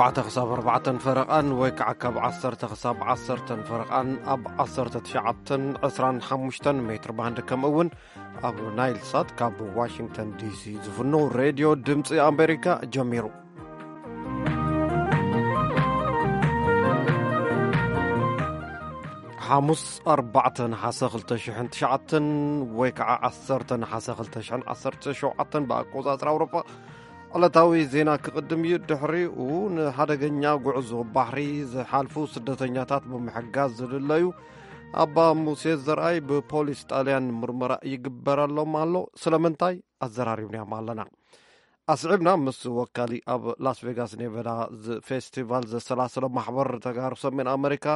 ትሽዓተ ክሳብ ኣርባዕተን ፈረቓን ወይ ከዓ ካብ ዓሰርተ ክሳብ ዓሰርተን ፈረቓን ኣብ ዓሰርተ ትሽዓተን ዕስራን ሓሙሽተን ሜትር ባንድ፣ ከምኡ እውን ኣብ ናይል ሳት ካብ ዋሽንግተን ዲሲ ዝፍኖ ሬድዮ ድምፂ ኣሜሪካ ጀሚሩ። ሓሙስ ኣርባዕተ ነሓሰ ክልተ ሽሕን ትሽዓተን ወይ ከዓ ዓሰርተ ነሓሰ ክልተ ሽሕን ዓሰርተ ሸውዓተን ብኣቆፃፅራ ኣውሮጳ ዕለታዊ ዜና ክቕድም እዩ። ድሕሪኡ ንሓደገኛ ጉዕዞ ባሕሪ ዝሓልፉ ስደተኛታት ብምሕጋዝ ዝልለዩ ኣባ ሙሴ ዘርኣይ ብፖሊስ ጣልያን ምርመራ ይግበረሎም ኣሎ። ስለምንታይ ኣዘራሪብናዮም ኣለና። ኣስዒብና ምስ ወካሊ ኣብ ላስ ቬጋስ ኔቨዳ ዝ-፣ ፌስቲቫል ዘሰላሰሎ ማሕበር ተጋሩ ሰሜን ኣሜሪካ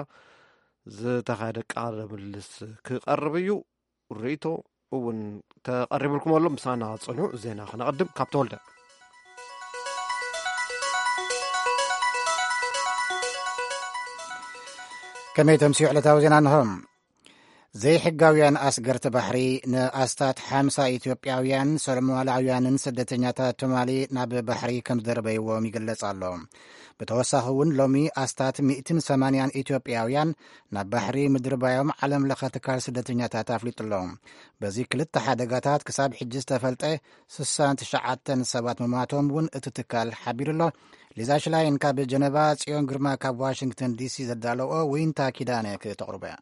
ዝተኻየደ ቃለ ምልልስ ክቐርብ እዩ። ርእይቶ እውን ተቐሪብልኩም ኣሎ። ምሳና ጽንሑ። ዜና ክነቐድም ካብ ተወልደ። ከመይ ተምስዩ ዕለታዊ ዜና እንሆ። ዘይሕጋውያን ኣስገርቲ ባሕሪ ንኣስታት ሓምሳ ኢትዮጵያውያን፣ ሶማላውያንን ስደተኛታት ሶማሊ ናብ ባሕሪ ከም ዝደርበይዎም ይግለጽ ኣሎ። ብተወሳኺ እውን ሎሚ ኣስታት ሚእትን ሰማንያን ኢትዮጵያውያን ናብ ባሕሪ ምድርባዮም ዓለም ለኸ ትካል ስደተኛታት ኣፍሊጡ ኣሎ። በዚ ክልተ ሓደጋታት ክሳብ ሕጂ ዝተፈልጠ ስሳን ትሽዓተን ሰባት ምማቶም እውን እቲ ትካል ሓቢሩ ኣሎ። ሊዛ ሽላይን ካብ ጀነቫ፣ ጽዮን ግርማ ካብ ዋሽንግተን ዲሲ ዘዳለኦ ዊንታ ኪዳነ ክተቕርቦ እያ።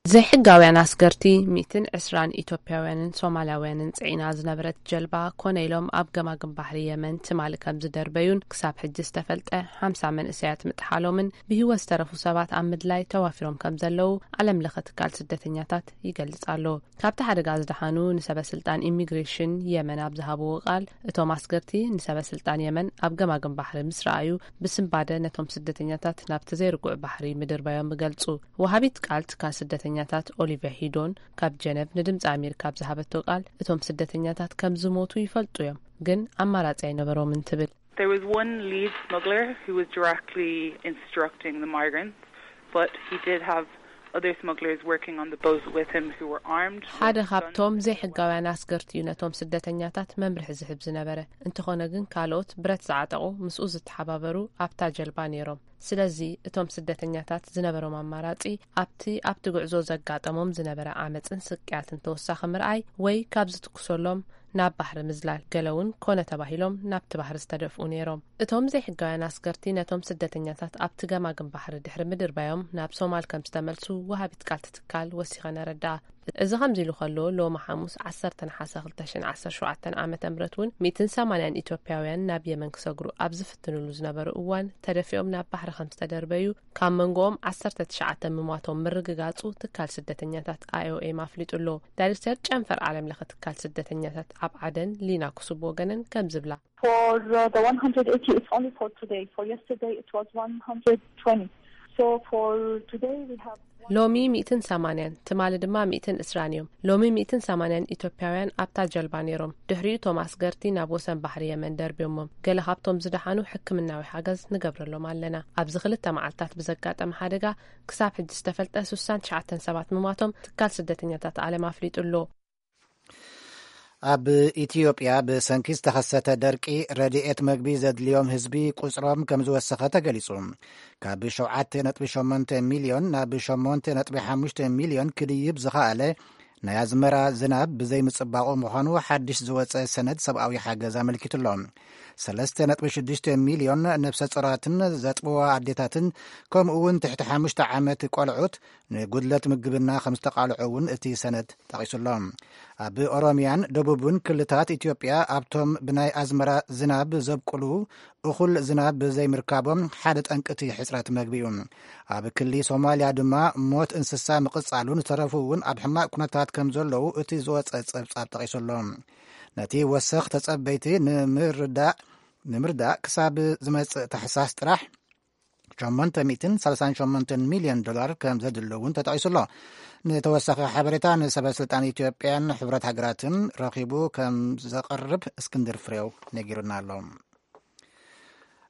ዘይሕጋውያን ኣስገርቲ ሚእትን ዕስራን ኢትዮጵያውያንን ሶማላውያንን ጽዒና ዝነበረት ጀልባ ኮነ ኢሎም ኣብ ገማግም ባሕሪ የመን ትማሊ ከም ዝደርበዩን ክሳብ ሕጂ ዝተፈልጠ ሓምሳ መንእሰያት ምጥሓሎምን ብህይወት ዝተረፉ ሰባት ኣብ ምድላይ ተዋፊሮም ከም ዘለዉ ዓለም ለኸ ትካል ስደተኛታት ይገልጽ ኣሎ። ካብቲ ሓደጋ ዝደሓኑ ንሰበ ስልጣን ኢሚግሬሽን የመን ኣብ ዝሃብዎ ቃል፣ እቶም ኣስገርቲ ንሰበ ስልጣን የመን ኣብ ገማግም ባሕሪ ምስ ረኣዩ ብስንባደ ነቶም ስደተኛታት ናብቲ ዘይርጉዕ ባሕሪ ምድርባዮም ይገልጹ። ወሃቢት ቃል ትካል ስደተኛታት ኦሊቨ ሂዶን ካብ ጀነቭ ንድምፂ ኣሜሪካ ኣብ ዝሃበቶ ቃል፣ እቶም ስደተኛታት ከም ዝሞቱ ይፈልጡ እዮም፣ ግን ኣማራፂ ኣይነበሮምን ትብል። There was one lead smuggler who was directly instructing the migrants, but he did have other smugglers working on the boat with him who were armed with ሓደ guns ካብቶም and ዘይሕጋውያን ኣስገርቲ እዩ ነቶም ስደተኛታት መምርሒ ዝህብ ዝነበረ። እንተኾነ ግን ካልኦት ብረት ዝዓጠቑ ምስኡ ዝተሓባበሩ ኣብታ ጀልባ ነይሮም። ስለዚ እቶም ስደተኛታት ዝነበሮም ኣማራጺ ኣብቲ ኣብቲ ጉዕዞ ዘጋጠሞም ዝነበረ ዓመጽን ስቅያትን ተወሳኺ ምርኣይ ወይ ካብ ዝትኩሰሎም ናብ ባሕሪ ምዝላል፣ ገለ እውን ኮነ ተባሂሎም ናብቲ ባሕሪ ዝተደፍኡ ነይሮም። እቶም ዘይሕጋውያን ኣስገርቲ ነቶም ስደተኛታት ኣብቲ ገማግም ባሕሪ ድሕሪ ምድርባዮም ናብ ሶማል ከም ዝተመልሱ ወሃቢት ቃል እቲ ትካል ወሲኸን ኣረድኣ። እዚ ከምዚ ኢሉ ከሎ፣ ሎሚ ሓሙስ ዓሰርተ ነሓሰ ክልተ ሽሕን ዓሰርተ ሸውዓተን ዓመተ ምህረት እውን ሚእትን ሰማንያን ኢትዮጵያውያን ናብ የመን ክሰግሩ ኣብ ዝፍትንሉ ዝነበሩ እዋን ተደፊኦም ናብ ባሕሪ ከም ዝተደርበዩ፣ ካብ መንጎኦም ዓሰርተ ትሽዓተ ምሟቶም ምርግጋጹ ትካል ስደተኛታት ኣይ ኦ ኤም ኣፍሊጡ ኣሎ። ዳይሬክተር ጨንፈር ዓለም ለኸ ትካል ስደተኛታት ኣብ ዓደን ሊና ኩሱብ ወገነን ከም ዝብላ። For uh, the one hundred eighty, it's only for today. For yesterday, it was one hundred twenty. So for today, we have ሎሚ ሚእትን ሰማንያን፣ ትማሊ ድማ ሚእትን ዕስራን እዮም። ሎሚ ሚእትን ሰማንያን ኢትዮጵያውያን ኣብታ ጀልባ ነይሮም። ድሕሪኡ እቶም ኣስገርቲ ናብ ወሰን ባሕሪ የመን ደርብዮሞም። ገለ ካብቶም ዝደሓኑ ሕክምናዊ ሓገዝ ንገብረሎም ኣለና። ኣብዚ ክልተ መዓልታት ብዘጋጠመ ሓደጋ ክሳብ ሕጂ ዝተፈልጠ ስሳን ትሽዓተን ሰባት ምሟቶም ትካል ስደተኛታት ዓለም ኣፍሊጡ ኣሎ። ኣብ ኢትዮጵያ ብሰንኪ ዝተኸሰተ ደርቂ ረድኤት መግቢ ዘድልዮም ህዝቢ ቁጽሮም ከም ዝወሰኸ ተገሊጹ። ካብ ሸውዓተ ነጥቢ ሸሞንተ ሚልዮን ናብ ሸሞንተ ነጥቢ ሓሙሽተ ሚልዮን ክድይብ ዝኸኣለ ናይ ኣዝመራ ዝናብ ብዘይምጽባቑ ምዃኑ ሓድሽ ዝወጸ ሰነድ ሰብኣዊ ሓገዝ ኣመልኪቱ ኣሎ። ሰለስተ ነጥቢ ሽዱሽተ ሚልዮን ነፍሰ ጾራትን ዘጥብዋ ኣዴታትን ከምኡ እውን ትሕቲ ሓሙሽተ ዓመት ቆልዑት ንጉድለት ምግብና ከም ዝተቓልዑ እውን እቲ ሰነድ ጠቒሱ ኣሎ። ኣብ ኦሮሚያን ደቡብን ክልታት ኢትዮጵያ ኣብቶም ብናይ ኣዝመራ ዝናብ ዘብቁሉ እኹል ዝናብ ብዘይምርካቦም ሓደ ጠንቂ እቲ ሕጽረት መግቢ እዩ። ኣብ ክሊ ሶማልያ ድማ ሞት እንስሳ ምቕጻሉን ዝተረፉ እውን ኣብ ሕማቕ ኩነታት ከም ዘለዉ እቲ ዝወጸ ጸብጻብ ጠቒሱ ኣሎ። ነቲ ወሰኽ ተጸበይቲ ንምርዳእ ንምርዳእ ክሳብ ዝመጽእ ታሕሳስ ጥራሕ ሸሞንተ ሚእትን ሰላሳን ሸሞንተን ሚልዮን ዶላር ከም ዘድሊ እውን ተጠቒሱ ኣሎ። ንተወሳኺ ሓበሬታ ንሰበ ስልጣን ኢትዮጵያን ሕብረት ሃገራትን ረኺቡ ከም ዘቕርብ እስክንድር ፍሬው ነጊሩና ኣሎ።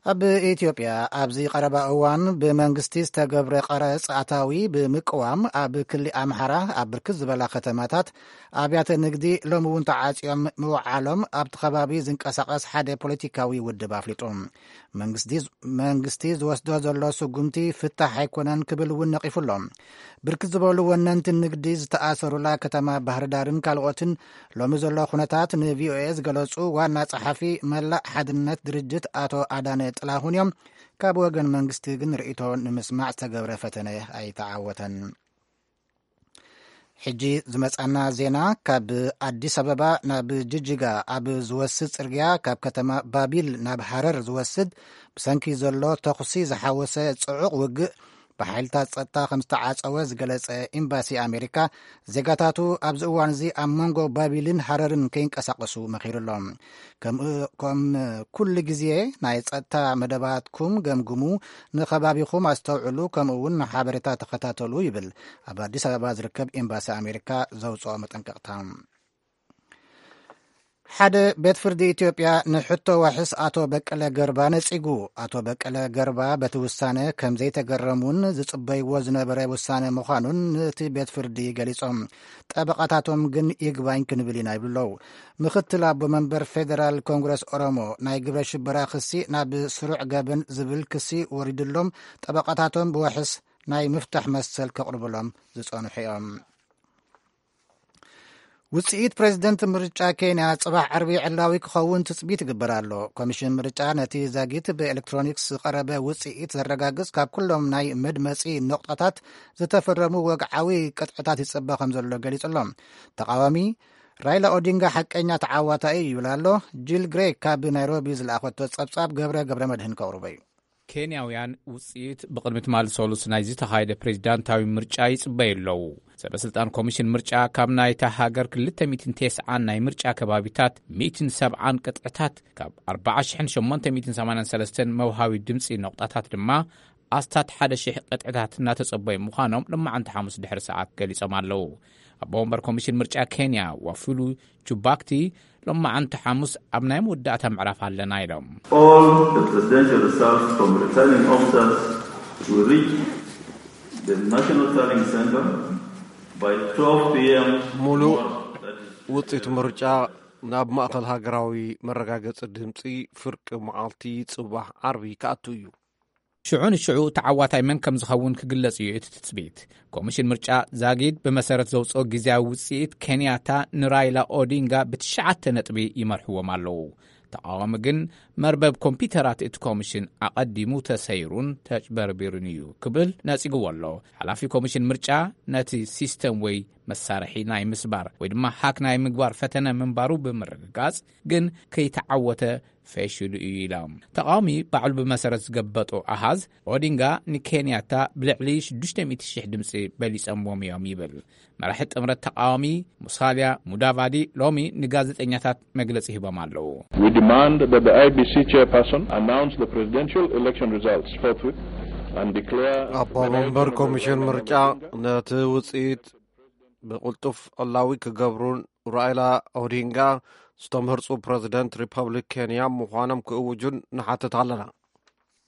ኣብ ኢትዮጵያ ኣብዚ ቀረባ እዋን ብመንግስቲ ዝተገብረ ቀረጽ ኣታዊ ብምቅዋም ኣብ ክሊ ኣምሓራ ኣብ ብርክት ዝበላ ከተማታት ኣብያተ ንግዲ ሎም እውን ተዓጽዮም ምውዓሎም ኣብቲ ከባቢ ዝንቀሳቐስ ሓደ ፖለቲካዊ ውድብ ኣፍሊጡ። መንግስቲ ዝወስዶ ዘሎ ስጉምቲ ፍታሕ ኣይኮነን ክብል እውን ነቒፉ ኣሎ። ብርክት ዝበሉ ወነንቲ ንግዲ ዝተኣሰሩላ ከተማ ባህርዳርን ካልኦትን ሎሚ ዘሎ ኩነታት ንቪኦኤ ዝገለጹ ዋና ጸሓፊ መላእ ሓድነት ድርጅት ኣቶ ኣዳነ ጥላሁን እዮም። ካብ ወገን መንግስቲ ግን ርእይቶ ንምስማዕ ዝተገብረ ፈተነ ኣይተዓወተን። ሕጂ ዝመጻና ዜና ካብ ኣዲስ ኣበባ ናብ ጅጅጋ ኣብ ዝወስድ ጽርግያ ካብ ከተማ ባቢል ናብ ሃረር ዝወስድ ብሰንኪ ዘሎ ተኹሲ ዝሓወሰ ጽዑቕ ውግእ ብሓይልታት ጸጥታ ከም ዝተዓጸወ ዝገለጸ ኤምባሲ ኣሜሪካ፣ ዜጋታቱ ኣብዚ እዋን እዚ ኣብ መንጎ ባቢልን ሃረርን ከይንቀሳቀሱ መኺሩ ኣሎ። ከም ከም ኩሉ ግዜ ናይ ጸጥታ መደባትኩም ገምግሙ፣ ንከባቢኹም ኣስተውዕሉ፣ ከምኡ እውን ንሓበሬታ ተኸታተሉ ይብል ኣብ ኣዲስ ኣበባ ዝርከብ ኤምባሲ ኣሜሪካ ዘውፅኦ መጠንቀቕታ። ሓደ ቤት ፍርዲ ኢትዮጵያ ንሕቶ ዋሕስ ኣቶ በቀለ ገርባ ነጺጉ። ኣቶ በቀለ ገርባ በቲ ውሳነ ከም ዘይተገረሙን ዝጽበይዎ ዝነበረ ውሳነ ምዃኑን ነቲ ቤት ፍርዲ ገሊጾም። ጠበቓታቶም ግን ይግባኝ ክንብል ኢና ይብሉ ኣለዉ። ምኽትል ኣቦ መንበር ፌደራል ኮንግረስ ኦሮሞ ናይ ግብረ ሽበራ ክሲ ናብ ስሩዕ ገበን ዝብል ክሲ ወሪድሎም ጠበቓታቶም ብዋሕስ ናይ ምፍታሕ መሰል ከቕርብሎም ዝጸንሑ እዮም። ውጽኢት ፕሬዚደንት ምርጫ ኬንያ ጽባሕ ዓርቢ ዕላዊ ክኸውን ትጽቢት ይግበር ኣሎ። ኮሚሽን ምርጫ ነቲ ዛጊት ብኤሌክትሮኒክስ ዝቐረበ ውጽኢት ዘረጋግጽ ካብ ኩሎም ናይ መድመጺ ነቑጣታት ዝተፈረሙ ወግዓዊ ቅጥዕታት ይጽበ ከም ዘሎ ገሊጹ ኣሎ። ተቓዋሚ ራይላ ኦዲንጋ ሓቀኛ ተዓዋታይ እዩ ይብል ኣሎ። ጂል ግሬ ካብ ናይሮቢ ዝለኣኸቶ ጸብጻብ ገብረ ገብረ መድህን ከቕርቦ እዩ። ኬንያውያን ውጽኢት ብቕድሚ ትማሊ ሰሉስ ናይ ዝተኻየደ ፕሬዚዳንታዊ ምርጫ ይጽበዩ ኣለዉ። ሰበ ስልጣን ኮሚሽን ምርጫ ካብ ናይታ ሃገር ክልተ ሚእትን ተስዓን ናይ ምርጫ ከባቢታት ሚእትን ሰብዓን ቅጥዕታት ካብ ኣርባዓ ሽሕን ሸሞንተ ሚእትን ሰማንያን ሰለስተን መውሃቢ ድምጺ ነቑጣታት ድማ ኣስታት ሓደ ሽሕ ቅጥዕታት እናተጸበዩ ምዃኖም ሎማዓንቲ ሓሙስ ድሕሪ ሰዓት ገሊጾም ኣለዉ። ኣቦ ወንበር ኮሚሽን ምርጫ ኬንያ ዋፉሉ ጁባክቲ ሎማዓንቲ ሓሙስ ኣብ ናይ መወዳእታ ምዕራፍ ኣለና ኢሎም። All the presidential results from returning officers will reach the National Tallying Center by twelve p.m. ሙሉእ ውጽኢት ምርጫ ናብ ማእኸል ሃገራዊ መረጋገጺ ድምጺ ፍርቂ መዓልቲ ጽባሕ ዓርቢ ክኣቱ እዩ። ሽዑ ንሽዑ ተዓዋታይ መን ከም ዝኸውን ክግለጽ እዩ እቲ ትጽቢት። ኮሚሽን ምርጫ ዛጊድ ብመሰረት ዘውጽኦ ግዜያዊ ውጽኢት ኬንያታ ንራይላ ኦዲንጋ ብትሽዓተ ነጥቢ ይመርሕዎም ኣለዉ። ተቓዋሚ ግን መርበብ ኮምፒውተራት እቲ ኮሚሽን ኣቐዲሙ ተሰይሩን ተጭበርቢሩን እዩ ክብል ነጺግዎ ኣሎ። ሓላፊ ኮሚሽን ምርጫ ነቲ ሲስተም ወይ መሳርሒ ናይ ምስባር ወይ ድማ ሃክ ናይ ምግባር ፈተነ ምንባሩ ብምርግጋጽ ግን ከይተዓወተ ፈሽሉ እዩ ኢሎም። ተቓዋሚ ባዕሉ ብመሰረት ዝገበጦ ኣሃዝ ኦዲንጋ ንኬንያታ ብልዕሊ ሽዱሽተ ሚእቲ ሽሕ ድምፂ በሊጸምዎም እዮም ይብል። መራሒ ጥምረት ተቓዋሚ ሙሳልያ ሙዳቫዲ ሎሚ ንጋዜጠኛታት መግለጺ ሂቦም ኣለዉ። We demand that the I B C chairperson announce the presidential election results forthwith and declare ኣቦ መንበር ኮሚሽን ምርጫ ነቲ ውፅኢት ብቕልጡፍ ዕላዊ ክገብሩን ራይላ ኦዲንጋ ዝተመርፁ ፕረዚደንት ሪፐብሊክ ኬንያ ምዃኖም ክእውጁን ንሓትት ኣለና።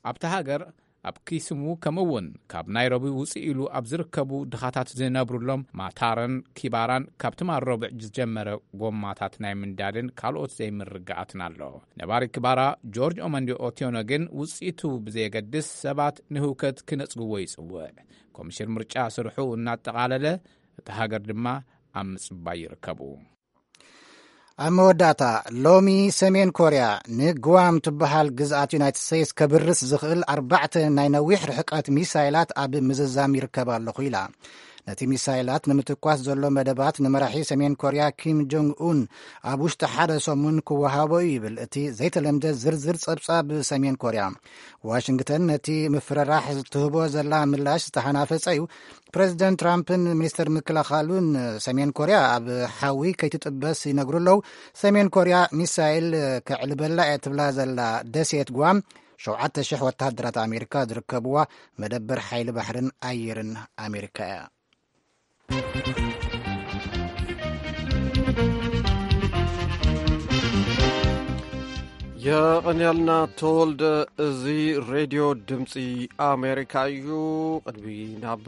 ኣብቲ ሃገር ኣብ ኪስሙ ከምኡ እውን ካብ ናይሮቢ ውፅእ ኢሉ ኣብ ዝርከቡ ድኻታት ዝነብሩሎም ማታረን ኪባራን ካብ ትማል ረቡዕ ዝጀመረ ጎማታት ናይ ምንዳድን ካልኦት ዘይምርግጋኣትን ኣሎ። ነባሪ ኪባራ ጆርጅ ኦመንዲ ኦትዮኖ ግን ውፅኢቱ ብዘየገድስ ሰባት ንህውከት ክነፅግዎ ይፅውዕ። ኮሚሽን ምርጫ ስርሑ እናጠቓለለ እታ ሃገር ድማ ኣብ ምጽባይ ይርከቡ። ኣብ መወዳእታ ሎሚ ሰሜን ኮርያ ንግዋም ትበሃል ግዝኣት ዩናይትድ ስቴትስ ከብርስ ዝኽእል ኣርባዕተ ናይ ነዊሕ ርሕቀት ሚሳይላት ኣብ ምዝዛም ይርከብ ኣለኹ ኢላ። ነቲ ሚሳይላት ንምትኳስ ዘሎ መደባት ንመራሒ ሰሜን ኮርያ ኪም ጆንግ ኡን ኣብ ውሽጢ ሓደ ሰሙን ክወሃቦ እዩ ይብል እቲ ዘይተለምደ ዝርዝር ጸብጻብ ሰሜን ኮርያ። ዋሽንግተን ነቲ ምፍርራሕ ትህቦ ዘላ ምላሽ ዝተሓናፈጸ እዩ። ፕረዚደንት ትራምፕን ሚኒስተር ምክልኻሉን ሰሜን ኮርያ ኣብ ሓዊ ከይትጥበስ ይነግሩ ኣለዉ። ሰሜን ኮርያ ሚሳይል ከዕልበላ እየ ትብላ ዘላ ደሴት ጓም ሸውዓተ ሽሕ ወተሃደራት ኣሜሪካ ዝርከብዋ መደበር ሓይሊ ባሕርን ኣየርን ኣሜሪካ እያ። የቐንያልና ተወልደ። እዚ ሬድዮ ድምፂ ኣሜሪካ እዩ። ቅድሚ ናብ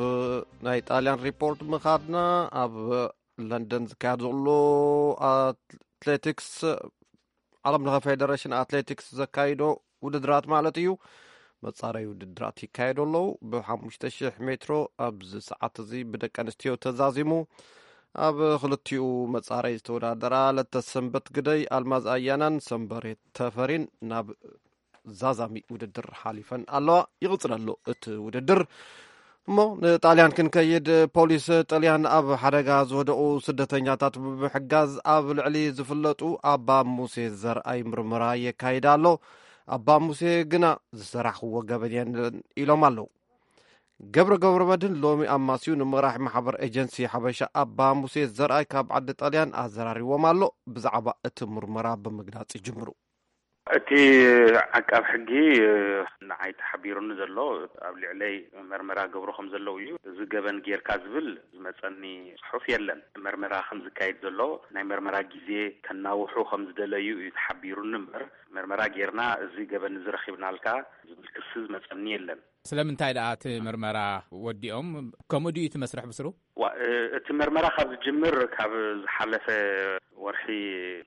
ናይ ጣልያን ሪፖርት ምኻድና፣ ኣብ ለንደን ዝካየድ ዘሎ ኣትሌቲክስ፣ ዓለም ለኸ ፌደሬሽን ኣትሌቲክስ ዘካይዶ ውድድራት ማለት እዩ፣ መጻረይ ውድድራት ይካየዱ ኣለዉ። ብ5,000 ሜትሮ ኣብዚ ሰዓት እዚ ብደቂ ኣንስትዮ ተዛዚሙ፣ ኣብ ክልቲኡ መጻረይ ዝተወዳደራ ለተሰንበት ግደይ ኣልማዝ ኣያናን ሰንበሬ ተፈሪን ናብ ዛዛሚ ውድድር ሓሊፈን ኣለዋ። ይቕጽል ኣሎ እቲ ውድድር። እሞ ንጣልያን ክንከይድ፣ ፖሊስ ጥልያን ኣብ ሓደጋ ዝወደቑ ስደተኛታት ብምሕጋዝ ኣብ ልዕሊ ዝፍለጡ ኣባ ሙሴ ዘርኣይ ምርመራ የካይድ ኣሎ። ኣባ ሙሴ ግና ዝሰራሕክዎ ገበን የለን ኢሎም ኣለዉ። ገብረ ገብረ መድህን ሎሚ ኣማስዩ ንመራሒ ማሕበር ኤጀንሲ ሓበሻ ኣባ ሙሴ ዘርኣይ ካብ ዓዲ ጣልያን ኣዘራሪዎም ኣሎ። ብዛዕባ እቲ ምርመራ ብምግላጽ ይጅምሩ። እቲ ዓቃብ ሕጊ ንዓይ ተሓቢሩኒ ዘሎ ኣብ ልዕለይ መርመራ ገብሩ ከም ዘለዉ እዩ። እዚ ገበን ጌርካ ዝብል ዝመጸኒ ጽሑፍ የለን። መርመራ ከም ዝካየድ ዘሎ ናይ መርመራ ግዜ ከናውሑ ከም ዝደለዩ እዩ ተሓቢሩኒ እምበር፣ መርመራ ጌርና እዚ ገበን እዚ ረኺብናልካ ዝብል ክሲ ዝመጸኒ የለን። ስለምንታይ ደኣ እቲ መርመራ ወዲኦም? ከምኡ ድዩ እቲ መስርሕ ብስሩ? ዋ፣ እ፣ እቲ መርመራ ካብ ዝጅምር ካብ ዝሓለፈ ወርሒ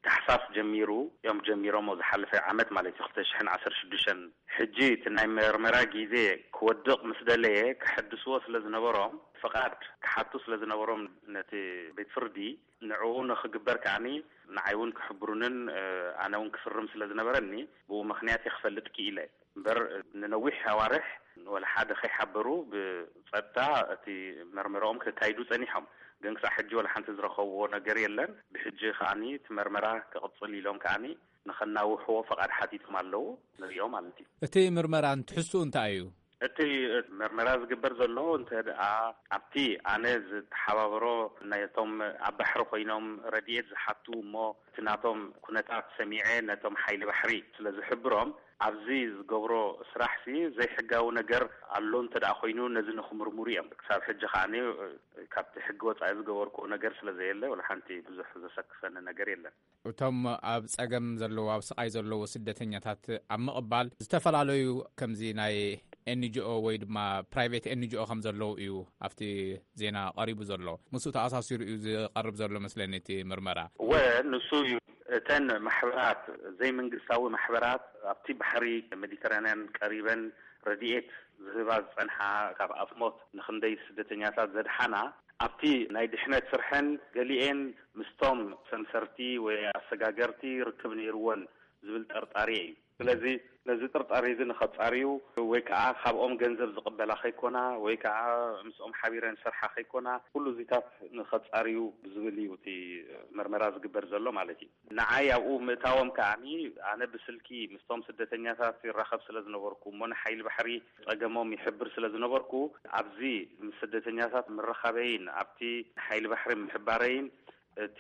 ታሕሳስ ጀሚሩ እዮም ጀሚሮሞ፣ ዝሓለፈ ዓመት ማለት እዩ፣ ክልተ ሽሕን ዓሰርተ ሽዱሽተን። ሕጂ እቲ ናይ መርመራ ግዜ ክወድቕ ምስ ደለየ ክሕድስዎ ስለ ዝነበሮም፣ ፍቓድ ክሓቱ ስለ ዝነበሮም ነቲ ቤት ፍርዲ ንዕኡ ንኽግበር ከዓኒ ንዓይ እውን ክሕብሩንን፣ እ፣ ኣነ እውን ክፍርም ስለ ዝነበረኒ ብኡ ምኽንያት እየ ክፈልጥ ክኢለ። እምበር ንነዊሕ ኣዋርሕ ወላ ሓደ ከይሓበሩ ብጸጥታ እቲ መርመራኦም ከካይዱ ጸኒሖም። ግን ክሳዕ ሕጂ ወላ ሓንቲ ዝረኸብዎ ነገር የለን። ብሕጂ ከዓኒ እቲ መርመራ ክቕጽል ኢሎም ከዓኒ ንኸናውሕዎ ፈቓድ ሓቲቶም ኣለዉ። ንሪኦ ማለት እዩ። እቲ ምርመራ ትሕዝትኡ እንታይ እዩ? እቲ መርመራ ዝግበር ዘሎ እንተ ደኣ ኣብቲ ኣነ ዝተሓባበሮ ናይቶም ኣብ ባሕሪ ኮይኖም ረድኤት ዝሓቱ እሞ እቲ ናቶም ኩነታት ሰሚዐ ነቶም ሓይሊ ባሕሪ ስለ ዝሕብሮም ኣብዚ ዝገብሮ ስራሕሲ ዘይሕጋዊ ነገር ኣሎ እንተ ደኣ ኮይኑ ነዚ ንኽምርምሩ እዮም። ክሳብ ሕጂ ከዓኒ ካብቲ ሕጊ ወጻኢ ዝገበርኩዎ ነገር ስለ ዘየለ ወላ ሓንቲ ብዙሕ ዘሰክፈኒ ነገር የለን። እቶም ኣብ ጸገም ዘለዉ፣ ኣብ ስቓይ ዘለዉ ስደተኛታት ኣብ ምቕባል ዝተፈላለዩ ከምዚ ናይ ኤንጂኦ ወይ ድማ ፕራይቬት ኤንጂኦ ከም ዘለዉ እዩ ኣብቲ ዜና ቀሪቡ ዘሎ። ምስኡ ተኣሳሲሩ እዩ ዝቐርብ ዘሎ መስለኒ እቲ ምርመራ። እወ፣ ንሱ እዩ። እተን ማሕበራት፣ ዘይመንግስታዊ ማሕበራት ኣብቲ ባሕሪ ሜዲተራንያን ቀሪበን ረድኤት ዝህባ ዝጸንሓ፣ ካብ ኣፍ ሞት ንኽንደይ ስደተኛታት ዘድሓና፣ ኣብቲ ናይ ድሕነት ስርሐን ገሊኤን ምስቶም ሰምሰርቲ ወይ ኣሰጋገርቲ ርክብ ነይርወን ዝብል ጠርጣሪ እዩ። ስለዚ ነዚ ጥርጣሬ እዚ ንኸጻርዩ ወይ ከዓ ካብኦም ገንዘብ ዝቕበላ ከይኮና ወይ ከዓ ምስኦም ሓቢረን ዝሰርሓ ከይኮና፣ ኩሉ እዚታት ንኸጻርዩ ብዝብል እዩ እቲ መርመራ ዝግበር ዘሎ ማለት እዩ። ንዓይ ኣብኡ ምእታዎም ከዓኒ ኣነ ብስልኪ ምስቶም ስደተኛታት ይራኸብ ስለ ዝነበርኩ እሞ ንሓይሊ ባሕሪ ጸገሞም ይሕብር ስለ ዝነበርኩ ኣብዚ ምስ ስደተኛታት ምርኻበይን ኣብቲ ሓይሊ ባሕሪ ምሕባረይን እቲ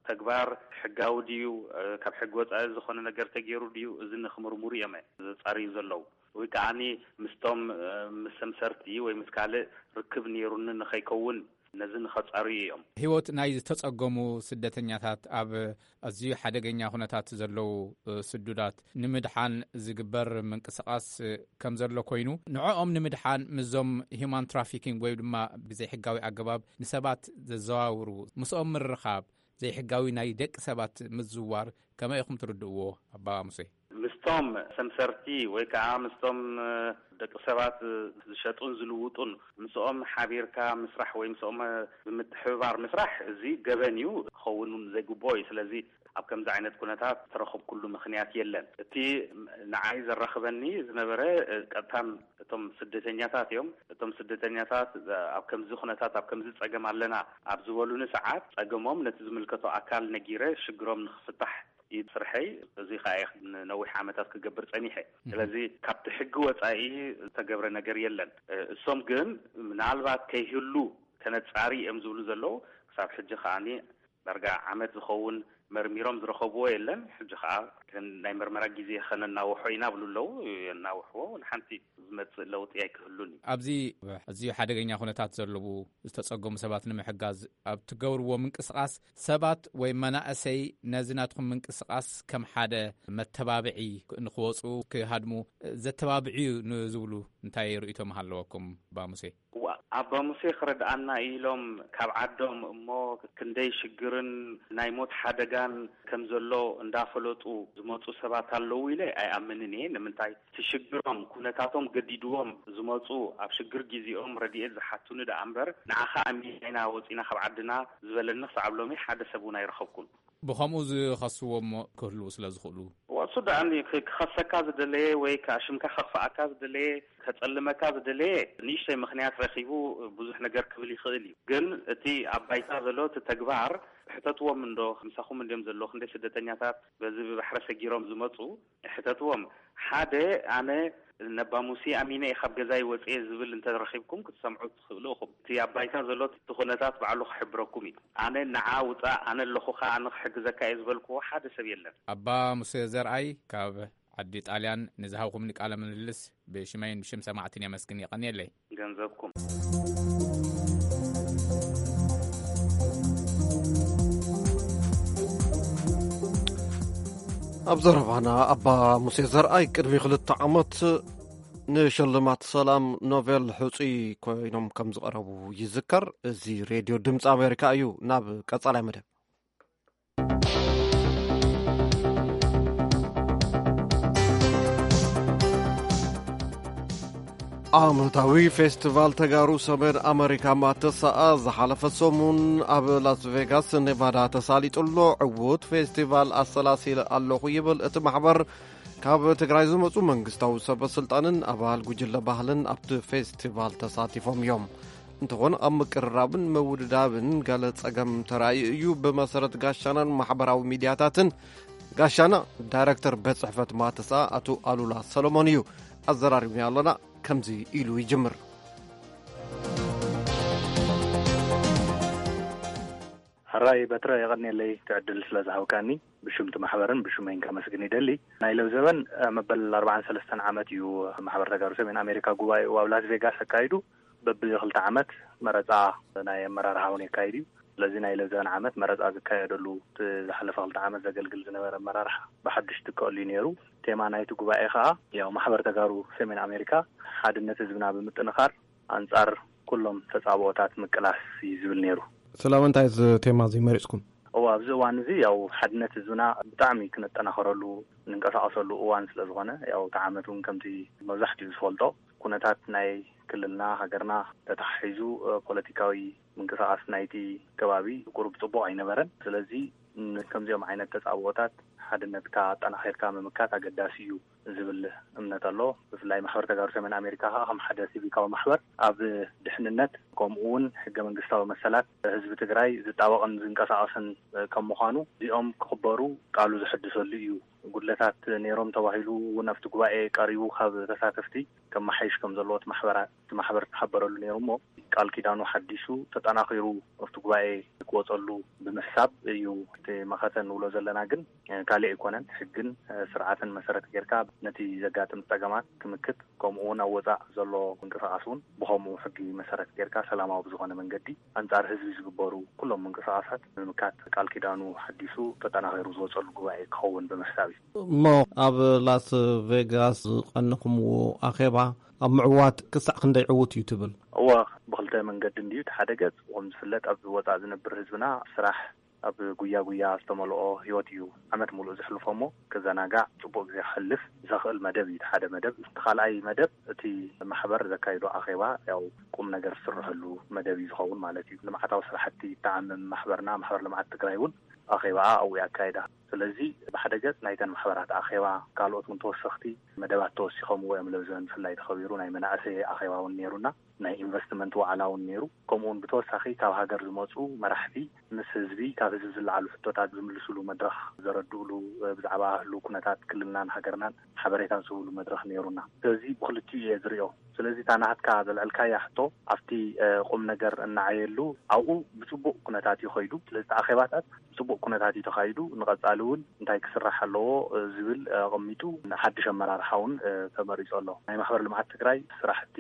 ተግባር ሕጋዊ ድዩ፣ እ፣ ካብ ሕጊ ወጻኢ ዝኾነ ነገር ተገይሩ ድዩ፣ እዚ ንኽምርምሩ እዮም ዘጻርዩ ዘለዉ። ወይ ከዓኒ ምስቶም፣ እ፣ ምስ ሰምሰርቲ ወይ ምስ ካልእ ርክብ ነይሩኒ ንኸይከውን ነዚ ንኸጻርዩ እዮም። ህይወት ናይ ዝተጸገሙ ስደተኛታት ኣብ ኣዝዩ ሓደገኛ ኩነታት ዘለዉ፣ እ፣ ስዱዳት ንምድሓን ዝግበር ምንቅስቓስ፣ እ፣ ከም ዘሎ ኮይኑ፣ ንዕኦም ንምድሓን ምስዞም ሂዩማን ትራፊኪንግ ወይ ድማ ብዘይሕጋዊ ኣገባብ ንሰባት ዘዘዋውሩ ምስኦም ምርኻብ፣ ዘይሕጋዊ ናይ ደቂ ሰባት ምዝዋር ከመይ ኢኹም ትርድእዎ ኣባ ሙሴ? ምስቶም ሰምሰርቲ ወይ ከዓ ምስቶም፣ እ፣ ደቂ ሰባት ዝሸጡን ዝልውጡን ምስኦም ሓቢርካ ምስራሕ ወይ ምስኦም፣ እ፣ ብምትሕብባር ምስራሕ እዚ ገበን እዩ፣ ክኸውን እውን ዘይግብኦ እዩ። ስለዚ ኣብ ከምዚ ዓይነት ኩነታት ዝተረኸብኩሉ ምኽንያት የለን። እቲ ንዓይ ዘራኽበኒ ዝነበረ፣ እ፣ ቀጥታን እቶም ስደተኛታት እዮም። እቶም ስደተኛታት ኣብ ከምዚ ኩነታት፣ ኣብ ከምዚ ጸገም ኣለና ኣብ ዝበሉኒ ሰዓት ጸገሞም ነቲ ዝምልከቶ ኣካል ነጊረ ሽግሮም ንኽፍታሕ እዩ ስርሐይ። እዚ ኸኣ እየ ንነዊሕ ዓመታት ክገብር ጸኒሐ። እህ። ስለዚ ካብቲ ሕጊ ወጻኢ ዝተገብረ ነገር የለን። እ፣ እሶም ግን ምናልባት ከይህሉ ከነጻሪ እዮም ዝብሉ ዘለዉ። ክሳብ ሕጂ ከኣኒ ዳርጋ ዓመት ዝኸውን መርሚሮም ዝረኸብዎ የለን። ሕጂ ኸኣ ናይ መርመራ ግዜ ከነናውሖ ኢና ብሉ ኣለዉ። የናውሕዎ፣ ንሓንቲ ዝመጽእ ለውጢ ኣይክህሉን እዩ። ኣብዚ ኣዝዩ ሓደገኛ ኩነታት ዘለዉ ዝተጸገሙ ሰባት ንምሕጋዝ ኣብ ትገብርዎ ምንቅስቓስ ሰባት ወይ መናእሰይ ነዚ ናትኩም ምንቅስቓስ ከም ሓደ መተባብዒ ንክወጹ ክሃድሙ ዘተባብዒ እዩ ንዝብሉ እንታይ ርእይቶ ምሃለወኩም ባሙሴ? እዋ፣ ኣባ ሙሴ ክረድኣና ኢሎም ካብ ዓዶም እሞ ክንደይ ሽግርን ናይ ሞት ሓደጋን ከም ዘሎ እንዳፈለጡ ዝመፁ ሰባት ኣለዉ ኢለ ኣይኣምንን እየ። ንምንታይ? እቲ ሽግሮም፣ ኩነታቶም ገዲድዎም ዝመፁ፣ ኣብ ሽግር ግዜኦም ረድኤት ዝሓቱኒ ደኣ እምበር፣ ንዓኻ ኣሚና ኢና ወፂና ካብ ዓድና ዝበለኒ ክሳብ ሎሚ ሓደ ሰብ እውን ኣይረኸብኩን። ብኸምኡ ዝኸስዎ እሞ ክህልዉ ስለ ዝኽእሉ። እዋ፣ እሱ ደኣ ክ-፣ ክኸሰካ ዝደለየ ወይ ከኣሽምካ ከኽፍኣካ ዝደለየ፣ ከጸልመካ ዝደለየ ንእሽተይ ምኽንያት ረኺቡ ብዙሕ ነገር ክብል ይኽእል እዩ። ግን እቲ ኣብ ባይታ ዘሎ እቲ ተግባር፣ ሕተትዎም እንዶ፣ ምሳኹም እንድዮም ዘለዉ፣ ክንደይ ስደተኛታት በዚ ብባሕሪ ሰጊሮም ዝመጹ፣ ሕተትዎም። ሓደ፣ ኣነ ነባ ሙሴ ኣሚነ እየ ካብ ገዛይ ወጽየ ዝብል እንተረኺብኩም ክትሰምዑ ትኽእሉ ኢኹም። እቲ ኣብ ባይታ ዘሎ እቲ ኩነታት ባዕሉ ክሕብረኩም እዩ። ኣነ ንዓ ውጻእ፣ ኣነ ኣለኹኻ፣ ኣነ ክሕግዘካ እየ ዝበልክዎ ሓደ ሰብ የለን። ኣባ ሙሴ ዘርኣይ ካብ ዓዲ ጣልያን ንዝሃብኩምኒ ቃለ ምልልስ ብሽመይን ብሽም ሰማዕትን የመስግን። የቐንየለይ። ገንዘብኩም። ኣብ ዘረባና ኣባ ሙሴ ዘርኣይ ቅድሚ ክልተ ዓመት ንሽልማት ሰላም ኖቤል ሕጹይ ኮይኖም ከም ዝቐረቡ ይዝከር። እዚ ሬድዮ ድምፂ ኣሜሪካ እዩ። ናብ ቀጻላይ መደብ። ዓመታዊ ፌስቲቫል ተጋሩ ሰሜን ኣመሪካ ማተሰኣ ዝሓለፈ ሰሙን ኣብ ላስ ቬጋስ ኔቫዳ ተሳሊጡ ኣሎ። ዕዉት ፌስቲቫል ኣሰላሲለ ኣለኹ ይብል እቲ ማሕበር። ካብ ትግራይ ዝመፁ መንግስታዊ ሰበ ስልጣንን ኣባል ጉጅለ ባህልን ኣብቲ ፌስቲቫል ተሳቲፎም እዮም። እንተኾነ ኣብ ምቅርራብን ምውድዳብን ገለ ጸገም ተራእዩ እዩ። ብመሰረት ጋሻናን ማሕበራዊ ሚድያታትን፣ ጋሻና ዳይረክተር ቤት ጽሕፈት ማተሳ ኣቶ ኣሉላ ሰሎሞን እዩ። ኣዘራሪብና ኣሎና፣ ከምዚ ኢሉ ይጅምር። ሕራይ በትረ፣ የቐንየለይ እቲ ዕድል ስለ ዝሃብካኒ። ብሽም እቲ ማሕበርን ብሽመይን ከመስግን ይደሊ። ናይ ለውዘበን መበል ኣርባዓን ሰለስተን ዓመት እዩ። ማሕበር ተጋሩ ሰሜን ኣሜሪካ ጉባኤኡ ኣብ ላስ ቬጋስ ኣካይዱ። በብክልተ ዓመት መረፃ ናይ ኣመራርሓ እውን የካይድ እዩ። ስለዚ ናይ ለውዘበን ዓመት መረፃ ዝካየደሉ፣ እቲ ዝሓለፈ ክልተ ዓመት ዘገልግል ዝነበረ ኣመራርሓ ብሓዱሽ ትከኣሉ እዩ ነይሩ። ቴማ ናይቲ ጉባኤ ከዓ ያው ማሕበር ተጋሩ ሰሜን ኣሜሪካ ሓድነት ህዝብና ብምጥንኻር ኣንፃር ኩሎም ተፃብኦታት ምቅላስ እዩ ዝብል ነይሩ። ስለምንታይ እዚ ቴማ እዚ መሪፅኩም? እዋ፣ ኣብዚ እዋን እዚ ያው ሓድነት ህዝብና ብጣዕሚ ክነጠናኸረሉ እንንቀሳቐሰሉ እዋን ስለ ዝኾነ፣ ያው እቲ ዓመት እውን ከምቲ መብዛሕትኡ ዝፈልጦ ኩነታት ናይ ክልልና ሃገርና ተተሓሒዙ ፖለቲካዊ ምንቅስቃስ ናይቲ ከባቢ ቁሩብ ፅቡቕ ኣይነበረን። ስለዚ ከምዚኦም ዓይነት ተፃብኦታት ሓድነትካ ኣጠናኺርካ ምምካት ኣገዳሲ እዩ ዝብል እምነት ኣሎ። ብፍላይ ማሕበር ተጋሩ ሰሜን ኣሜሪካ ከዓ ከም ሓደ ሲቪካዊ ማሕበር ኣብ ድሕንነት ከምኡ እውን ሕገ መንግስታዊ መሰላት ህዝቢ ትግራይ ዝጣበቕን ዝንቀሳቐስን ከም ምዃኑ እዚኦም ክኽበሩ ቃሉ ዝሕድሰሉ እዩ። ጉድለታት ነይሮም ተባሂሉ እውን ኣብቲ ጉባኤ ቀሪቡ ካብ ተሳተፍቲ ከመሓይሽ ከም ዘለዎ እቲ ማሕበራ-፣ እቲ ማሕበር ተሓበረሉ ነይሩ እሞ ቃል ኪዳኑ ሓዲሱ ተጠናኺሩ ኣብቲ ጉባኤ ክወፀሉ ብምሕሳብ እዩ እቲ መኸተ ንብሎ ዘለና። ግን ካልእ ኣይኮነን። ሕግን ስርዓትን መሰረት ጌርካ ነቲ ዘጋጥም ፀገማት ክምክት፣ ከምኡ እውን ኣብ ወፃእ ዘሎ ምንቅስቃስ እውን ብኸምኡ ሕጊ መሰረት ጌርካ ሰላማዊ ብዝኾነ መንገዲ ኣንፃር ህዝቢ ዝግበሩ ኩሎም ምንቅስቃሳት ንምምካት ቃል ኪዳኑ ሓዲሱ ተጠናኺሩ ዝወፀሉ ጉባኤ ክኸውን ብምሕሳብ እዩ። እሞ ኣብ ላስ ቬጋስ ዝቐነኹምዎ ኣኼባ ኣብ ምዕዋት ክሳዕ ክንደይ ዕዉት እዩ ትብል? እወ፣ ብኽልተ መንገዲ እንድዩ። እቲ ሓደ ገፅ፣ ከም ዝፍለጥ፣ ኣብ ወፃእ ዝነብር ህዝብና ስራሕ ኣብ ጉያ ጉያ ዝተመልኦ ህይወት እዩ ዓመት ሙሉእ ዘሕልፎ እሞ፣ ክዘናጋዕ፣ ፅቡቅ ግዜ ክሕልፍ ዘኽእል መደብ እዩ እቲ ሓደ መደብ። እቲ ካልኣይ መደብ፣ እቲ ማሕበር ዘካይዶ ኣኼባ፣ ያው ቁም ነገር ዝስረሐሉ መደብ እዩ ዝኸውን ማለት እዩ። ልምዓታዊ ስራሕቲ ይተዓምም ማሕበርና፣ ማሕበር ልምዓት ትግራይ እውን ኣኼባኣ ኣብኡ የካይዳ። ስለዚ ብሓደ ገፅ ናይተን ማሕበራት ኣኼባ፣ ካልኦት እውን ተወሰኽቲ መደባት ተወሲኸምዎ እዮም። ለብዘን ብፍላይ ተኸቢሩ ናይ መናእሰይ ኣኼባ እውን ነይሩና፣ ናይ ኢንቨስትመንት ዋዕላ እውን ነይሩ። ከምኡ እውን ብተወሳኺ ካብ ሃገር ዝመፁ መራሕቲ ምስ ህዝቢ፣ ካብ ህዝቢ ዝለዓሉ ሕቶታት ዝምልስሉ መድረኽ፣ ዘረድእሉ፣ ብዛዕባ ህልው ኩነታት ክልልናን ሃገርናን ሓበሬታ ዝህብሉ መድረኽ ነይሩና። ስለዚ ብክልቲኡ እየ ዝሪኦ። ስለዚ እታ ናትካ ዘልዐልካያ ሕቶ ኣብቲ ቁም ነገር እናዓየሉ ኣብኡ ብፅቡቕ ኩነታት እዩ ከይዱ። ስለዚ ኣኼባታት ብፅቡቕ ኩነታት እዩ ተኻይዱ። ንቐፃሊ እውን እንታይ ክስራሕ ኣለዎ ዝብል ኣቐሚጡ ሓድሽ ኣመራርሓ እውን ተመሪፁ ኣሎ። ናይ ማሕበር ልምዓት ትግራይ ስራሕቲ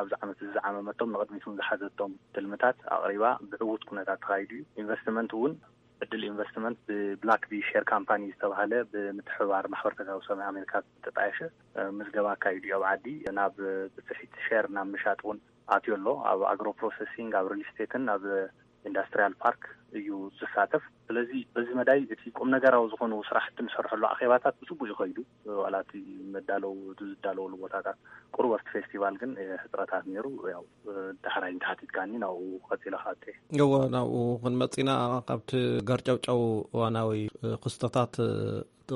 ኣብዚ ዓመት እዚ ዝዓመመቶም ንቕድሚት እውን ዝሓዘቶም ትልምታት ኣቕሪባ ብዕዉት ኩነታት ተኻይዱ እዩ። ኢንቨስትመንት እውን ዕድል ኢንቨስትመንት ብብላክ ቢ ሼር ካምፓኒ ዝተባህለ ብምትሕብባር ማሕበር ተጋሩ ሰሜን ኣሜሪካ ዝተጣየሸ ምዝገባ ኣካይዱ እዩ። ኣብ ዓዲ ናብ ብፅሒት ሼር ናብ ምሻጥ እውን ኣትዮ ኣሎ። ኣብ ኣግሮ ፕሮሰሲንግ፣ ኣብ ሪል ስቴትን ኣብ ኢንዳስትሪያል ፓርክ እዩ ዝሳተፍ። ስለዚ በዚ መዳይ እቲ ቁም ነገራዊ ዝኾኑ ስራሕቲ ንሰርሐሉ ኣኼባታት ብፅቡቅ ይኸይዱ። ዋላ እቲ መዳለው ዝዳለወሉ ቦታታት ቁሩብ ኣብቲ ፌስቲቫል ግን ሕፅረታት ነይሩ። ያው ዳሕራይ እንተሓቲትካኒ ናብኡ ቀፂለ ክኣቱ እየ። እወ፣ ናብኡ ክንመፅእ ኢና። ካብቲ ገርጨውጨው እዋናዊ ክስተታት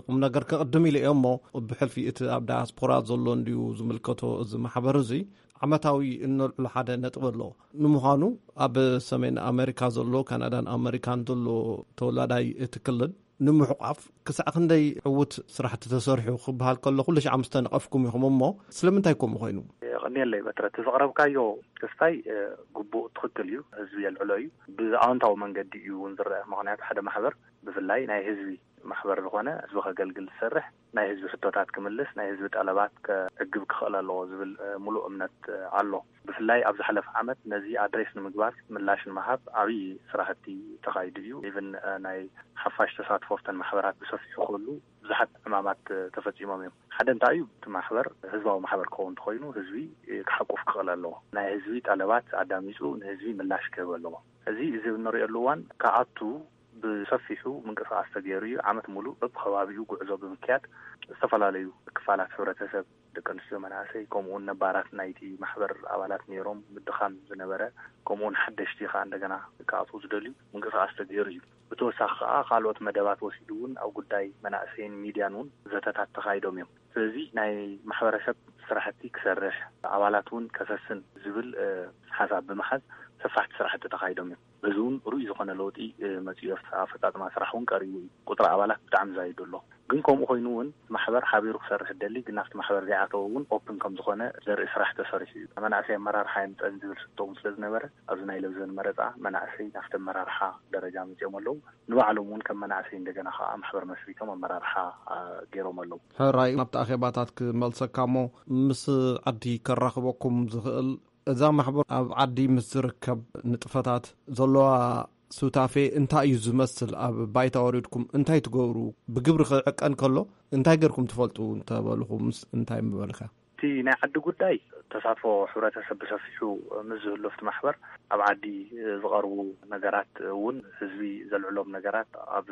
ቁም ነገር ከቕድም ኢለ እየ እሞ፣ ብሕልፊ እቲ ኣብ ዳያስፖራ ዘሎ እንድዩ ዝምልከቶ እዚ ማሕበር እዚ ዓመታዊ እነልዕሎ ሓደ ነጥቢ ኣሎ። ንምዃኑ ኣብ ሰሜን ኣሜሪካ ዘሎ፣ ካናዳን ኣሜሪካን ዘሎ ተወላዳይ እቲ ክልል ንምሕቋፍ ክሳዕ ክንደይ ዕዉት ስራሕቲ ተሰሪሑ ክበሃል ከሎ፣ ኩሉ ሻዕ ምስ ተነቐፍኩም ኢኹም እሞ፣ ስለምንታይ ከምኡ ኮይኑ? የቐንየለይ በትረ፣ እቲ ዘቕረብካዮ ክስታይ ግቡእ ትኽክል እዩ። ህዝቢ የልዕሎ እዩ። ብኣወንታዊ መንገዲ እዩ እውን ዝረአ። ምኽንያቱ ሓደ ማሕበር ብፍላይ ናይ ህዝቢ ማሕበር ዝኾነ ህዝቢ ከገልግል ዝሰርሕ ናይ ህዝቢ ሕቶታት ክምልስ፣ ናይ ህዝቢ ጠለባት ከዕግብ ክኽእል ኣለዎ ዝብል ምሉእ እምነት ኣሎ። ብፍላይ ኣብ ዝሓለፈ ዓመት ነዚ ኣድሬስ ንምግባር፣ ምላሽ ንምሃብ ዓብዪ ስራሕቲ ተኻይዱ እዩ። ኢቭን ናይ ሓፋሽ ተሳትፎ ኣብተን ማሕበራት ብሰፊሑ ክህሉ ብዙሓት ዕማማት ተፈፂሞም እዮም። ሓደ እንታይ እዩ? እቲ ማሕበር ህዝባዊ ማሕበር ክኸውን እንተኾይኑ ህዝቢ ክሓቁፍ ክኽእል ኣለዎ። ናይ ህዝቢ ጠለባት ኣዳሚፁ ንህዝቢ ምላሽ ክህብ ኣለዎ። እዚ እዚ እንሪኦሉ እዋን ክኣቱ ብሰፊሑ ምንቅስቃስ ተገይሩ እዩ። ዓመት ሙሉእ በብከባቢኡ ጉዕዞ ብምክያድ ዝተፈላለዩ ክፋላት ሕብረተሰብ፣ ደቂ ኣንስትዮ፣ መናእሰይ፣ ከምኡውን ነባራት ናይቲ ማሕበር ኣባላት ነይሮም ምድኻም ዝነበረ፣ ከምኡውን ሓደሽቲ ከዓ እንደገና ክኣትዉ ዝደልዩ ምንቅስቃስ ተገይሩ እዩ። ብተወሳኺ ከዓ ካልኦት መደባት ወሲዱ እውን ኣብ ጉዳይ መናእሰይን ሚድያን እውን ዘተታት ተኻይዶም እዮም። ስለዚ ናይ ማሕበረሰብ ስራሕቲ ክሰርሕ፣ ኣባላት እውን ከሰስን ዝብል ሓሳብ ብምሓዝ ሰፋሕቲ ስራሕቲ ተኻይዶም እዮም። በዚ እውን ርኡይ ዝኾነ ለውጢ መፂኡ። ኣፈፃፅማ ስራሕ እውን ቀሪቡ እዩ። ቁፅሪ ኣባላት ብጣዕሚ ዛይዱ ኣሎ። ግን ከምኡ ኮይኑ እውን ማሕበር ሓቢሩ ክሰርሕ ደሊ ግን ናብቲ ማሕበር ዘይኣተወ እውን ኦፕን ከም ዝኾነ ዘርኢ ስራሕ ተሰሪሑ እዩ። መናእሰይ ኣመራርሓ የምፀን ዝብል ስቶ እውን ስለ ዝነበረ ኣብዚ ናይ ለብዘን መረፃ መናእሰይ ናብቲ ኣመራርሓ ደረጃ መፂኦም ኣለዉ። ንባዕሎም እውን ከም መናእሰይ እንደገና ከዓ ማሕበር መስሪቶም ኣመራርሓ ገይሮም ኣለዉ። ሕራይ ናብቲ ኣኼባታት ክመልሰካ እሞ ምስ ዓዲ ከራኽበኩም ዝኽእል እዛ ማሕበር ኣብ ዓዲ ምስ ዝርከብ ንጥፈታት ዘለዋ ሱታፌ እንታይ እዩ ዝመስል? ኣብ ባይታ ወሪድኩም እንታይ ትገብሩ? ብግብሪ ክዕቀን ከሎ እንታይ ገርኩም ትፈልጡ እንተበልኹምስ እንታይ ምበልካ? እቲ ናይ ዓዲ ጉዳይ ተሳትፎ ሕብረተሰብ ብሰፊሑ ምስ ዝህሉ ኣብቲ ማሕበር ኣብ ዓዲ ዝቐርቡ ነገራት እውን ህዝቢ ዘልዕሎም ነገራት ኣብ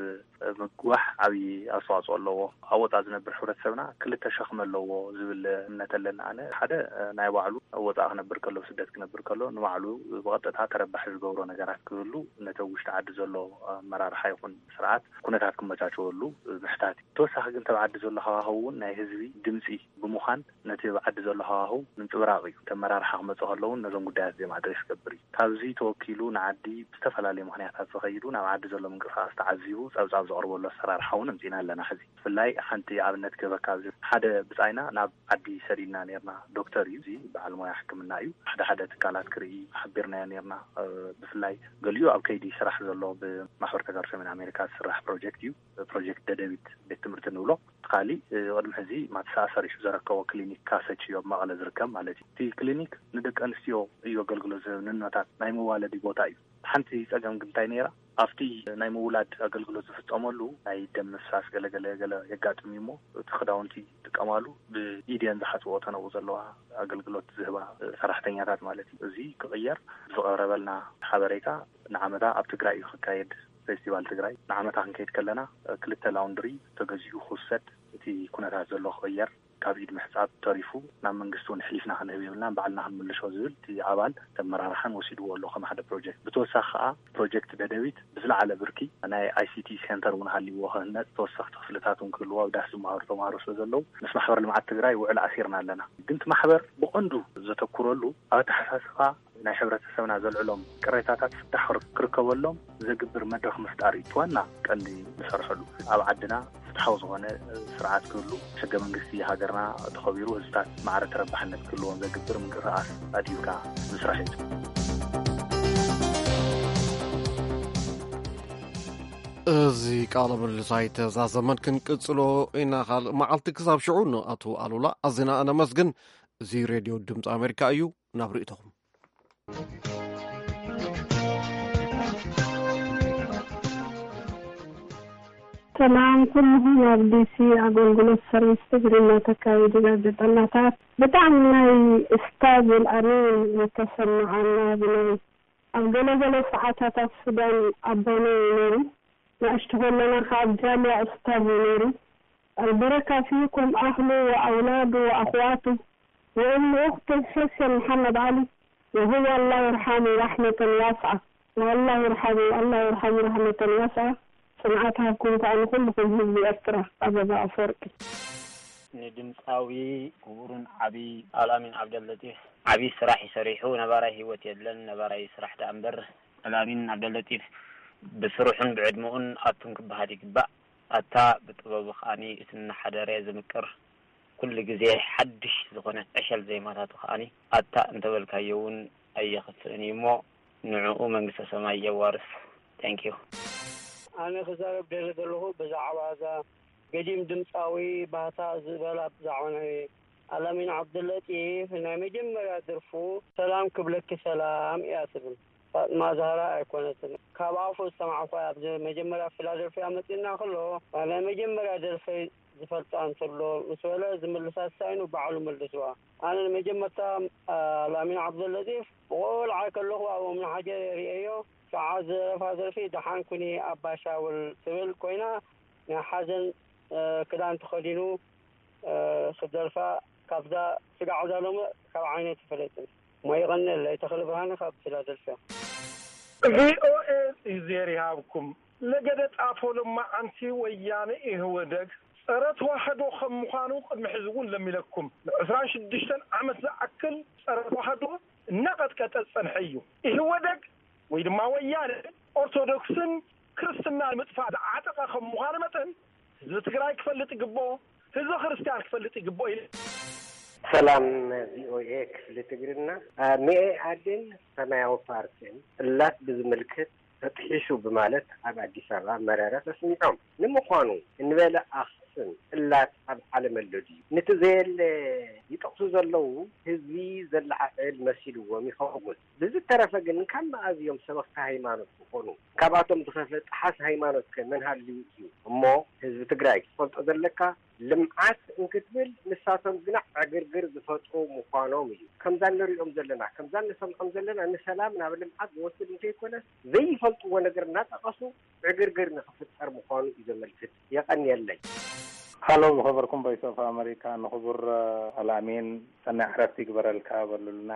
ምግዋሕ ዓብዪ ኣስተዋፅኦ ኣለዎ። ኣብ ወፃእ ዝነብር ሕብረተሰብና ክልተ ሸኽሚ ኣለዎ ዝብል እምነት ኣለኒ ኣነ። ሓደ ናይ ባዕሉ ኣብ ወፃእ ክነብር ከሎ፣ ስደት ክነብር ከሎ ንባዕሉ ብቐጥታ ተረባሒ ዝገብሮ ነገራት ክህሉ ነቲ ኣብ ውሽጢ ዓዲ ዘሎ ኣመራርሓ ይኹን ስርዓት ኩነታት ክመቻቸወሉ ምሕታት እዩ። ተወሳኺ ግን ተብ ዓዲ ዘሎ ሃዋህው እውን ናይ ህዝቢ ድምፂ ብምዃን ነቲ ኣብ ዓዲ ዘሎ ሃዋህው ምንፅብራቕ እዩ። እቲ ኣመራርሓ ክመፅእ ከለውን ነዞም ጉዳያት እዚኦም ኣድሬስ ክገብር እዩ። ካብዚ ተወኪሉ ንዓዲ ብዝተፈላለዩ ምኽንያታት ዝኸይዱ ናብ ዓዲ ዘሎ ምንቅስቃስ ተዓዚቡ ፀብፃብ ዘቕርበሉ ኣሰራርሓ እውን ኣምፂና ኣለና። ሕዚ ብፍላይ ሓንቲ ኣብነት ክህበካ፣ ኣብዚ ሓደ ብፃይና ናብ ዓዲ ሰዲድና ነርና። ዶክተር እዩ፣ እዚ በዓል ሞያ ሕክምና እዩ። ሓደ ሓደ ትካላት ክርኢ ሓቢርናዮ ነርና። ብፍላይ ገሊኡ ኣብ ከይዲ ስራሕ ዘሎ ብማሕበር ተጋሩ ሰሜን ኣሜሪካ ዝስራሕ ፕሮጀክት እዩ። ፕሮጀክት ደደቢት ቤት ትምህርቲ ንብሎ። እቲ ካሊእ ቅድሚ ሕዚ ማትሳ ኣሰሪሑ ዘረከቦ ክሊኒክ ካሰች እዩ ኣብ መቐለ ዝርከብ ማለት እዩ። እቲ ክሊኒክ ንደቂ ኣንስትዮ እዩ ኣገልግሎት ዝህብ፣ ንኖታት ናይ መዋለዲ ቦታ እዩ። ሓንቲ ፀገም ግን እንታይ ነይራ? ኣብቲ ናይ ምውላድ ኣገልግሎት ዝፍፀመሉ ናይ ደም ምፍሳስ ገለገለ ገለ የጋጥም እዩ እሞ እቲ ክዳውንቲ ይጥቀማሉ ብኢድየን ዝሓፅቦ ተነኡ ዘለዋ ኣገልግሎት ዝህባ ሰራሕተኛታት ማለት እዩ። እዚ ክቕየር ብዝቐረበልና ሓበሬታ ንዓመታ ኣብ ትግራይ እዩ ክካየድ ፌስቲቫል ትግራይ። ንዓመታ ክንከይድ ከለና ክልተ ላውንድሪ ተገዚኡ ክውሰድ፣ እቲ ኩነታት ዘሎ ክቕየር፣ ካብ ኢድ ምሕፃብ ተሪፉ ናብ መንግስቲ እውን ሕሊፍና ክንህብ የብልና፣ ባዕልና ክንምልሾ ዝብል እቲ ኣባል ተመራርሓን ወሲድዎ ኣሎ ከም ሓደ ፕሮጀክት። ብተወሳኺ ከዓ ፕሮጀክት ደደቢት ብዝለዓለ ብርኪ ናይ ኣይሲቲ ሴንተር እውን ሃልይዎ ክህነፅ፣ ተወሰኽቲ ክፍልታት እውን ክህልዎ ኣብ ዳስ ዝመሃሩ ተምሃሮ ስለ ዘለዉ ምስ ማሕበር ልምዓት ትግራይ ውዕል ኣሲርና ኣለና። ግን እቲ ማሕበር ብቐንዱ ዘተኩረሉ ኣብ ኣተሓሳስባ ናይ ሕብረተሰብና ዘልዕሎም ቅሬታታት ፍታሕ ክርከበሎም ዘግብር መድረኽ ምፍጣር እዩ ዋና ቀንዲ ንሰርሐሉ። ኣብ ዓድና ፍትሓዊ ዝኾነ ስርዓት ክህሉ፣ ሕገ መንግስቲ ሃገርና ተኸቢሩ፣ ህዝብታት ማዕረ ተረባሕነት ክህልዎም ዘግብር ምንቅስቃስ ኣድሂብካ ምስራሕ እዩ። እዚ ቃለ ምልልስ ኣይተዛዘመን፣ ክንቅጽሎ ኢና። ካልእ መዓልቲ። ክሳብ ሽዑ፣ ንኣቶ ኣሉላ ኣዚና እነመስግን። እዚ ሬድዮ ድምፂ ኣሜሪካ እዩ። ናብ ርእይቶኹም። ሰላም ኩልኹም። ኣብ ዲሲ ኣገልግሎት ሰርቪስ ትግርኛ ተካይዱ ጋዜጠኛታት፣ ብጣዕሚ ናይ እስታዝ ኣልኣሚን ዝተሰማዓና ብናይ ኣብ ገለገለ ሰዓታት ኣብ ሱዳን ኣቦና እዩ ነይሩ። ንእሽቶ ከለና ካብ ጃልያ እስታዝ እዩ ነይሩ። البركة فيكم أهله وأولاده وأخواته وأم أخته حسين محمد علي، وهو الله يرحمه رحمة واسعة. والله يرحمه، الله يرحمه رحمة واسعة. ጽንዓት ሃብኩም ከኣ ንኹልኹም ህዝቢ ኤርትራ። ኣበባ ኣፈወርቂ። ንድምፃዊ ክቡርን ዓቢ ኣልኣሚን ዓብደለጢፍ ዓቢ ስራሕ ይሰሪሑ። ነባራይ ህይወት የለን፣ ነባራይ ስራሕ ደኣ እምበር። ኣልኣሚን ዓብደለጢፍ ብስርሑን ብዕድመኡን ኣቱም ክበሃል ይግባእ። ኣታ ብጥበቡ ከኣኒ እቲ እናሓደረ ዝምቅር ኩሉ ግዜ ሓድሽ ዝኾነት ዕሸል ዜማታቱ ከኣኒ ኣታ እንተበልካዮ እውን ኣየኽፍእን እዩ እሞ ንዕኡ መንግስተ ሰማይ የዋርስ። Thank you። ኣነ ክዛረብ ደሊ ዘለኹ ብዛዕባ እዛ ገዲም ድምፃዊ ባህታ ዝበላ ብዛዕባ ናይ ኣላሚን ዓብደለጢፍ ናይ መጀመርያ ድርፉ ሰላም ክብለኪ ሰላም እያ ትብል። ፋጥማ ዛህራ ኣይኮነትን። ካብ ኣፉ ዝሰማዕኳ ኣብዚ መጀመርያ ፊላደልፊያ መፂና ከሎ ናይ መጀመርያ ደርፈይ ዝፈልጣ እንተሎ ምስ በለ ዝምልሳ ሳይኑ ባዕሉ መልስዋ። ኣነ ንመጀመርታ ኣላሚን ዓብደለጢፍ ብቆልዓ ከለኹ ኣብ ኡምናሓጀር ርእየዮ። ሸዓ ዝደረፋ ደርፊ ደሓን ኩኒ ኣባ ሻውል ትብል ኮይና ናይ ሓዘን ክዳን ተኸዲኑ ክደርፋ ካብዛ ስጋዕ እዛ ሎሚ ካብ ዓይነይ ትፈለጥን። እሞ ይቐንየለይ። ተኽለ ብርሃነ ካብ ፊላደልፊያ። ቪኦኤ እግዜር ይሃብኩም። ለገደ ጣፎ ሎማዓንቲ ወያነ ኢህወደግ ጸረ ተዋህዶ ከም ምዃኑ ቅድሚ ሕዚ እውን ለሚለኩም። ንዕስራን ሽዱሽተን ዓመት ዝኣክል ጸረ ተዋህዶ እናቐጥቀጠ ዝጸንሐ እዩ። ኢህወደግ ወይ ድማ ወያነ ኦርቶዶክስን ክርስትና ንምጥፋእ ዝዓጠቐ ከም ምዃኑ መጠን ህዝቢ ትግራይ ክፈልጥ ይግብኦ፣ ህዝቢ ክርስትያን ክፈልጥ ይግብኦ ኢለ። ሰላም ቪኦኤ ክፍሊ ትግርና። ሚኤ ኣድን ሰማያዊ ፓርቲን እላት ብዝምልክት ተጥሒሱ ብማለት ኣብ ኣዲስ ኣበባ መረረ ተስሚዖም። ንምዃኑ እንበለ ኣኽስን እላት ኣብ ዓለም ኣሎ ድዩ? ንቲ ዘየለ ይጠቕሱ ዘለዉ ህዝቢ ዘለዓዕል መሲልዎም ይኸውን። ብዝተረፈ ግን ካብ መኣዝ እዮም ሰበኽቲ ሃይማኖት ዝኾኑ? ካብኣቶም ዝኸፍለ ጠሓስ ሃይማኖት ከ መን ሃልዩ እዩ? እሞ ህዝቢ ትግራይ ክትፈልጦ ዘለካ ልምዓት እንክትብል ንሳቶም ግና ዕግርግር ዝፈጥሩ ምዃኖም እዩ። ከምዛ እንሪኦም ዘለና ከምዛ እንሰምዖም ዘለና ንሰላም ናብ ልምዓት ዝወስድ እንተይኮነስ ዘይፈልጥዎ ነገር እናጠቐሱ ዕግርግር ንኽፍጠር ምዃኑ እዩ ዘመልክት። የቐንየለይ። ሃሎ ዝኸበርኩም ቮይስ ኦፍ ኣመሪካ ንኽቡር ኣላሚን ሰናይ ዕረፍቲ ይግበረልካ በሉልና።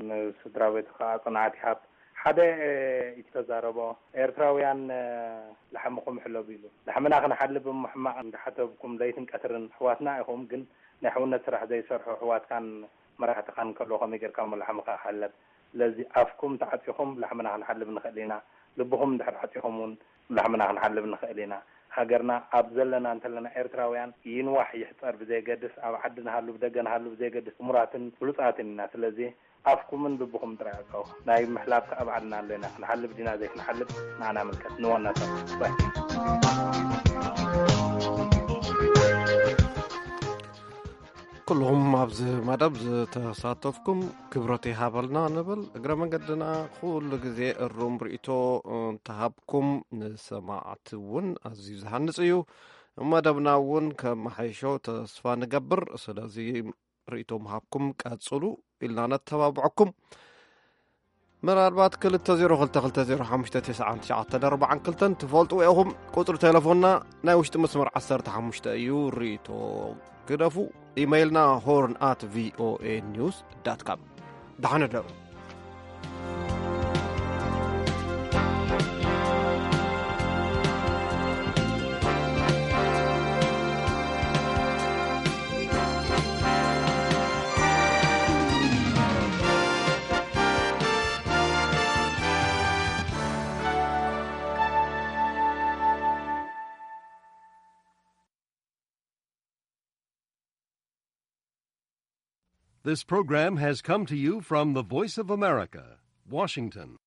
ንስድራ ቤቱ ከዓ ፅንዓት ይሃብ። ሓደ ኢቲ ተዛረቦ ኤርትራውያን ላሕምኹም ሕለቡ ኢሉ። ላሕምና ክንሓልብ እሞ ሕማቕ እንዳሓተብኩም ለይትን ቀትርን ኣሕዋትና ኢኹም፣ ግን ናይ ሕውነት ስራሕ ዘይሰርሑ ኣሕዋትካን መራሕትኻን ከለዉ ከመይ ጌርካ እሞ ላሕምኻ ክሕለብ? ስለዚ ኣፍኩም ተዓፂኹም ላሕምና ክንሓልብ ንኽእል ኢና። ልብኹም እንድሕር ዓፂኹም እውን ላሕምና ክንሓልብ ንኽእል ኢና። ሃገርና ኣብ ዘለና እንተለና ኤርትራውያን ይንዋሕ ይሕፀር ብዘየገድስ፣ ኣብ ዓዲ ንሃሉ ብደገ ንሃሉ ብዘየገድስ፣ እሙራትን ፍሉጣትን ኢና። ስለዚ ኣፍኩምን ልብኹም ጥራይ ዕፀዉ። ናይ ምሕላብ ከዓ ባዕልና ኣሎ ኢና። ክንሓልብ ዲና ዘይክንሓልብ ንዓና ምልከት። ንዋናታት ባይ። ኩልኹም ኣብዚ መደብ ዝተሳተፍኩም ክብረት ይሃበልና ንብል። እግረ መንገድና ኩሉ ግዜ እሩም ርእይቶ እንተሃብኩም ንሰማዕቲ እውን ኣዝዩ ዝሃንጽ እዩ። መደብና እውን ከመሓይሾ ተስፋ ንገብር። ስለዚ ርእይቶ ምሃብኩም ቀጽሉ ኢልና ነተባብዐኩም። ምናልባት ክልተ ዜሮ ክልተ ክልተ ዜሮ ሓሙሽተ ተስዓን ትሽዓተን ኣርባዓን ክልተን ትፈልጥዎ ኢኹም። ቁጽሪ ቴሌፎንና ናይ ውሽጢ መስመር ዓሰርተ ሓሙሽተ እዩ። ርእይቶ ግደፉ። ኢመይልና ሆርን ኣት ቪኦኤ ኒውስ ዳት ካም። ደሓን እደሩ። This program has come to you from the Voice of America, Washington.